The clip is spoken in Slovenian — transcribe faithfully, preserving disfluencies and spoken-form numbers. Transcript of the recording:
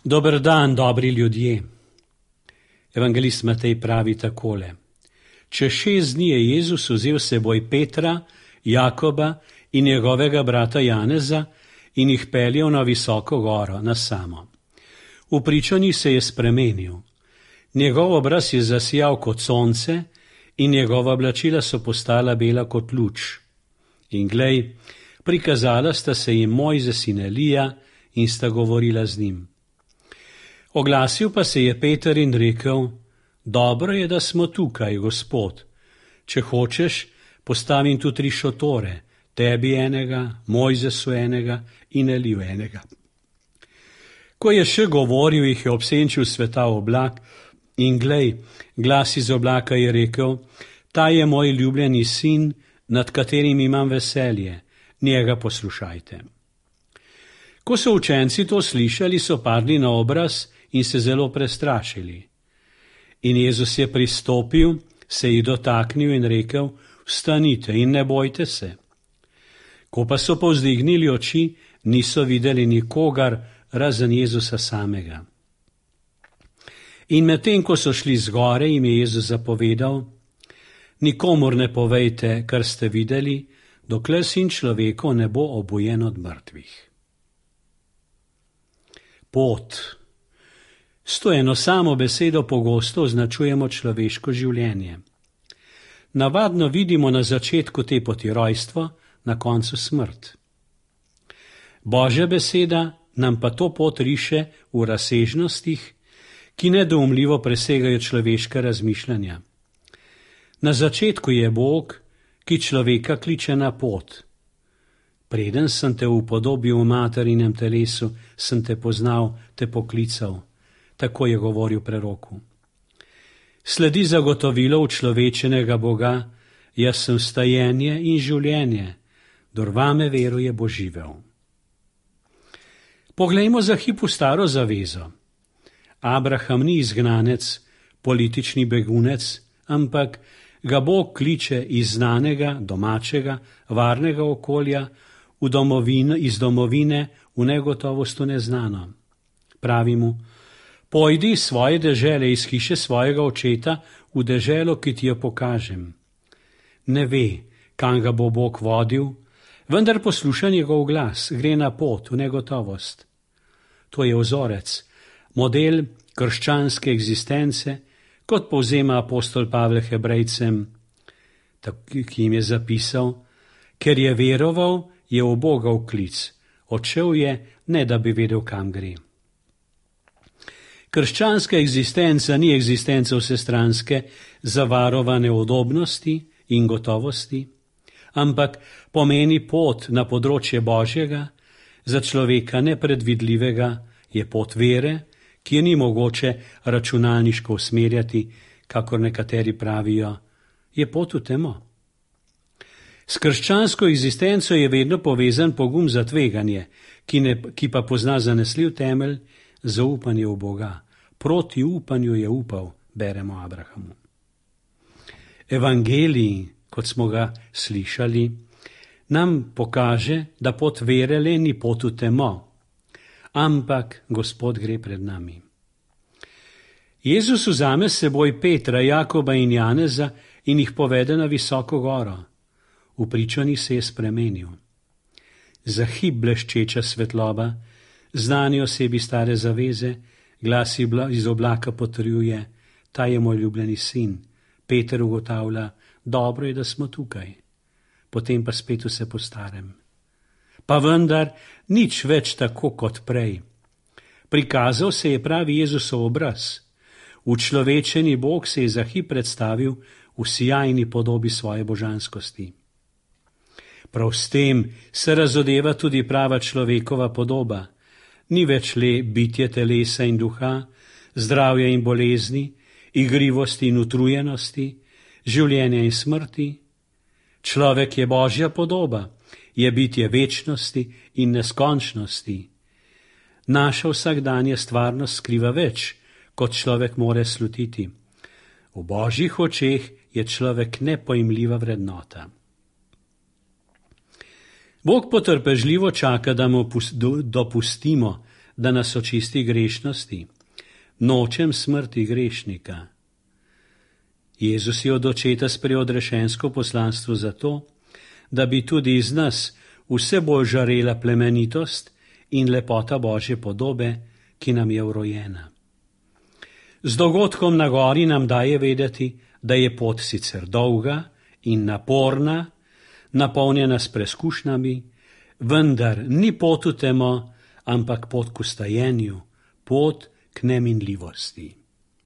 Dober dan, dobri ljudje. Evangelist Matej pravi takole. Čez šest dni je Jezus vzel s seboj Petra, Jakoba in njegovega brata Janeza in jih peljal na visoko goro, na samo. V pričanju se je spremenil. Njegov obraz je zasijal kot sonce in njegova oblačila so postala bela kot luč. In glej, prikazala sta se jim Mojzes in Elija in sta govorila z njim. Oglasil pa se je Peter in rekel, dobro je, da smo tukaj, Gospod. Če hočeš, postavim tu tri šotore, tebi enega, Mojzesu enega in Eliju enega. Ko je še govoril, jih je obsenčil sveta oblak in glej, glas iz oblaka je rekel, ta je moj ljubljeni sin, nad katerim imam veselje, njega poslušajte. Ko so učenci to slišali, so padli na obraz in se zelo prestrašili. In Jezus je pristopil, se jih dotaknil in rekel, vstanite in ne bojte se. Ko pa so povzdignili oči, niso videli nikogar, razen Jezusa samega. In medtem, ko so šli zgore, jim je Jezus zapovedal, nikomur ne povejte, kar ste videli, dokler sin človekov ne bo obujen od mrtvih. Pot. S to eno samo besedo pogosto označujemo človeško življenje. Navadno vidimo na začetku te poti rojstvo, na koncu smrt. Božja beseda nam pa to pot riše v razsežnostih, ki nedoumljivo presegajo človeška razmišljanja. Na začetku je Bog, ki človeka kliče na pot. Preden sem te upodobil v materinem telesu, sem te poznal, te poklical. Tako je govoril preroku. Sledi zagotovilo učlovečenega Boga, jaz sem stajenje in življenje, dor vame veruje bo živel. Poglejmo za hip v staro zavezo. Abraham ni izgnanec, politični begunec, ampak ga Bog kliče iz znanega, domačega, varnega okolja v domovino, iz domovine v negotovost v neznano. Pravi mu, pojdi iz svoje dežele, iz hiše svojega očeta v deželo, ki ti jo pokažem. Ne ve, kam ga bo Bog vodil, vendar posluša njegov glas, gre na pot v negotovost. To je vzorec, model krščanske egzistence, kot povzema apostol Pavel Hebrejcem, ki jim je zapisal, ker je veroval, je v Boga vklic, odšel je, ne da bi vedel, kam gre. Krščanska egzistenca ni egzistenca vsestranske, zavarovane udobnosti in gotovosti, ampak pomeni pot na področje Božjega, za človeka nepredvidljivega je pot vere, ki je ni mogoče računalniško usmerjati, kakor nekateri pravijo, je pot v temo. S krščansko egzistenco je vedno povezan pogum za tveganje, ki, ne, ki pa pozna zanesljiv temelj, zaupanje v Boga. Proti upanju je upal, beremo Abrahamu. Evangelij, kot smo ga slišali, nam pokaže, da pot vere le ni pot v temo, ampak Gospod gre pred nami. Jezus vzame s seboj Petra, Jakoba in Janeza in jih povede na visoko goro. V pričanju se je spremenil. Za hip bleščeča svetloba, znani osebi stare zaveze, glas iz oblaka potrjuje, ta je moj ljubljeni sin. Peter ugotavlja, dobro je, da smo tukaj. Potem pa spet vse po starem. Pa vendar nič več tako kot prej. Prikazal se je pravi Jezusov obraz. Učlovečeni Bog se je za hip predstavil v sijajni podobi svoje božanskosti. Prav s tem se razodeva tudi prava človekova podoba. Ni več le bitje telesa in duha, zdravja in bolezni, igrivosti in utrujenosti, življenja in smrti. Človek je Božja podoba, je bitje večnosti in neskončnosti. Naša vsakdanja stvarnost skriva več, kot človek more slutiti. V Božjih očeh je človek nepojmljiva vrednota. Bog potrpežljivo čaka, da mu dopustimo, da nas očisti grešnosti. Nočem smrti grešnika. Jezus je od očeta sprejel odrešensko poslanstvo zato, da bi tudi iz nas vse bolj žarela plemenitost in lepota Božje podobe, ki nam je vrojena. Z dogodkom na gori nam daje vedeti, da je pot sicer dolga in naporna, napolnjena s preskušnjami, vendar ni pot v temo, ampak pot k ustajenju, pot k neminljivosti.